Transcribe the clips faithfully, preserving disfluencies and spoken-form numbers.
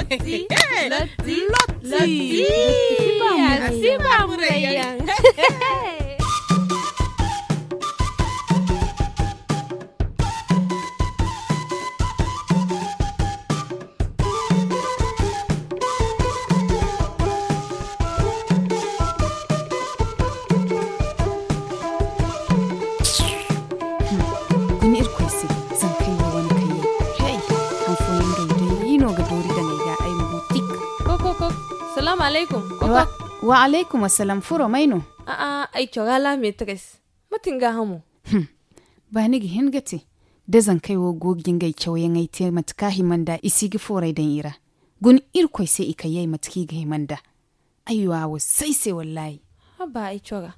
Lotti. Lotti. Lotti. Lotti. Lotti. Lotti. Guna Irkoy se, zankey wo wane kayey. Hey, han fooyaŋ day, day no ga doori daŋ ay ga, ay ma go tik. Kok, kok, kok. Salaamu alaykum. Kok, kok. Wa alaykum assalam. Furo may no? A'a, ay cora la meetres. Mate ni gaahamo? Hmm. Ba ni ga hin ga te, da zankey wo go ga ngey cawyaŋey te mate kaŋ a hima nd'a, i si ga fooray daŋ i ra. Guna Irkoy se i kay yay mate kaŋ i ga hima nd'a. Ay wa wo say se wallaahi. Haba ay cora.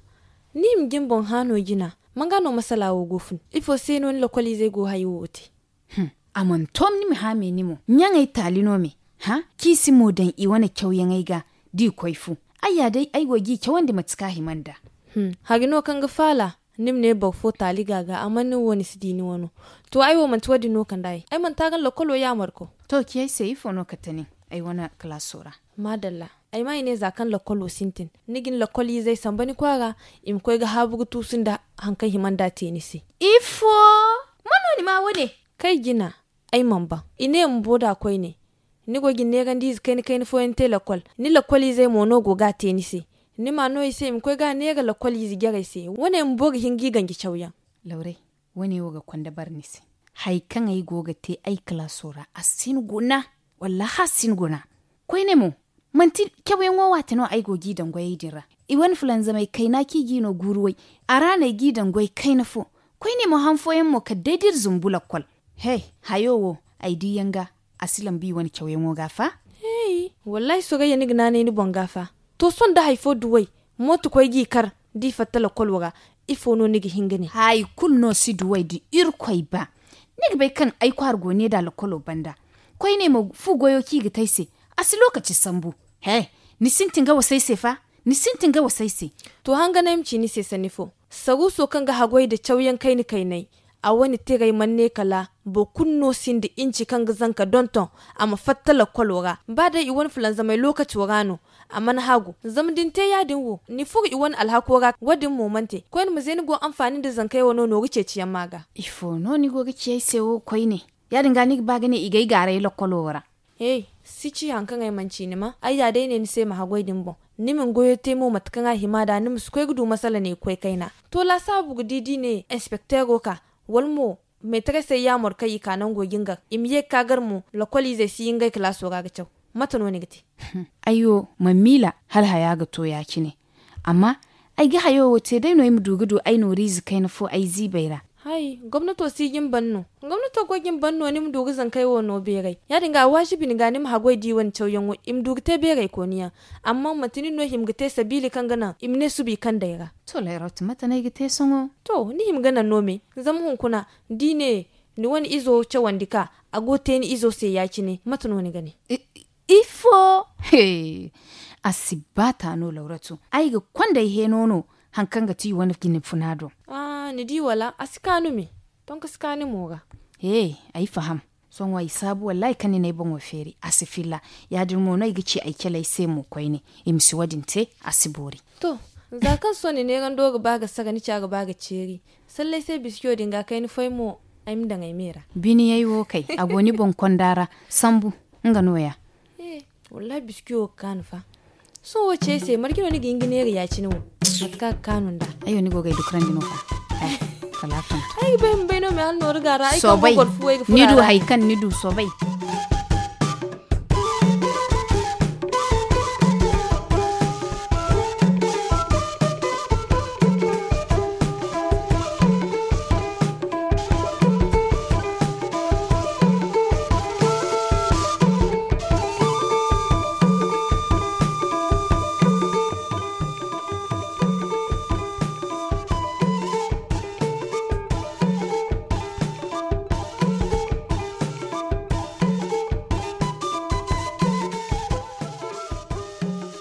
Ni hima ga ni boŋ hã no jina. Man ga no masala wo go fun? Ifo se no ni lokoliizey go hayo wo te? Hmm. A mana to ni ma hã me ni mo. Ɲaŋey taali no me. Hã? Kaŋ i si mo daŋ i wane cawyaŋey ga, da i koy fu. Ay ya day, ay go g'i cawandi mate kaŋ a hima nd'a. Hmm. Hari no kaŋ ga faala, ni ma ne boro fo taali ga a ga, amma ni wo ni si di ni wano. To, ay wo manti wo-din no kande ay. Ay mana taagan lokolo yaamar ko. To, ci ay se, ifo no kate nin ay wane kalaaso ra? Maadalla. Ay ma ay ne, za kaŋ lokolo sintin, ni ga ni lokoliizey samba ni kwaara, i ma koy ga haabu ga tuusu nda haŋ kaŋ hima nd'a te ni se. Ifo? Man no ni maa wo-ne? Kay jina, ay mana ban. I ne ma bo nd'a koyne. Ni go ga ni neerandiize kayna-kayna fooyaŋ te lokol. Ni lokoliizey mo no go ga a te ni se. Ni ma a no i se i ma koy ga a neera lokoliize jarey se. Wo-ne ma boro hin g'i ganji cawyaŋ. Lawrey, wo-ne wo ga konda bare ni se. Hari kaŋ ay go ga te ay kalaaso ra, a si ni guna. Wallaahi, a si ni guna. Koyne mo, manti cawyaŋo waate no ay go g'i daŋ goyey din ra. I wane fulanzamay kayna kaŋ i g'i no guuru way. A ra no ay g'i daŋ goy kayna fo. Koyne mo, han fooyaŋ mo kala day d'iri zumbu lakkol. He, hayo wo, ay di yaŋ ga, a si lambu i wane cawyaŋo ga fa? Hey, wallaahi, Sorayya, ni ga naanay ni boŋ ga fa. To, sohõ da hari fo duw'ey, mooto koy g'i kar, d'i fatta lakkolo ra, ifo no ni ga hin ga ne? Hari kulu no si duw'ey da Irkoy ba. Ni ga bay kaŋ ay kwaara go ne nd'a lakkolo banda. Koyne mo, fu goyo kaŋ i ga te ay se, a si lookaci sambu. He, ni sintin ga wasa ay se fa? Ni sintin ga wasa ay se. To, hanganay ma ci ni se sanni fo. Saruuso kaŋ ga haggoy nda cawyaŋ kayna-kaynay, a wane tirey mana ne kala boro kulu no sinda inci kaŋ ga zanka donton a ma fatta lakkolo ra. Ba day i wane fulanzamay lookaco ra no, a mana hagu. Zama da ni te yaadin wo, ni furo i wane alhako ra, wo-din mo mana te. Koyne ma ze ni go anfaani nda zankey wano nooru ceeciyaŋ ma ga. Ifo no ni go ga ci ay se wo koyne? Yaadin ga ni ga ba ga ne i g'ay gaaray lakkolo ra. Hey, si ci haŋ kaŋ ay mana ci ni ma. Ay ya day ne ni se ma haggoy din boŋ. Ni ma ni goyo te mo mate kaŋ a hima nd'a, ni ma si koy ga du masala ne ga koy kayna. To, laasaabu ga di, d'i ne inspekteero ka, wala mo meetaresey yaamar kaŋ i ka nango jingar, i ma ye ga ka gar mo, lakkoliizey si ye ngey kalaaso ra ga caw. Mate no ni ga te? Ay wo, mana miila hala haya ga to ya-cine. Amma ay ga hayo wo te day no ay ma du ga du ay nooriize kayna fo ay ziibey ra. Hay, gomnato si jin ban no. Gomnato go jin ban no ni ma du ga zankey wo no beeray. Yaadin ga, a waajibi ni ga ni ma haggoy d'i wane cawyaŋo, i ma du ga te beeraykooniyaŋ. Amma manti nin no hima ga te sabiili kaŋ ga naŋ i ma ne suba i kand'ey ra. To, Layrot, mate no ay ga te sohõ? To, ni hima ga naŋ no me. Zama hunkuna, d'i ne ni wane izo cawandi ka, a go ga te ni izo se ya-cine, mate no ni ga ne? I, Ifo? He, a si ba ta no, Lawratu. Ay ga konda ay heeno no, haŋ kaŋ ga ti i wane jine funa do. Ah, ni di wala? A si kaanu me. Tonko si kaanu mo ga. He, ay faham. Sohõ ay saabu, wallaahi, kaŋ ni n'ay boŋo feeri, a si filla. Yaadin mo no ay ga ci ay caley se mo koyne. I ma si wo-din te, a si boori. To, za kaŋ sohõ ni neerando ga ba ga sara, ni ca ga ba ga ceeri. Sallay se biskiyo din ga kay ni foy mo, ay ma daŋ ay me ra. Biniyay wo kay, a go ni boŋ konda ra, sambu, nga nooya. Eh, wallahi, biskiyo ga kaanu fa. Sohõ wo ce ay se, marje no ni ga hin ga neera ya-cine wo? Mate kaŋ a ga kaanu nd'a. Ayo, ni go ga ay dukurandi no fa. Eh, kala a faham. Ay ga bay ma bay no, me hala nooru ga ra, ay kaŋ go goro fuwey ga furo a ra. Soobay, ni du hari kaŋ ni du soobay.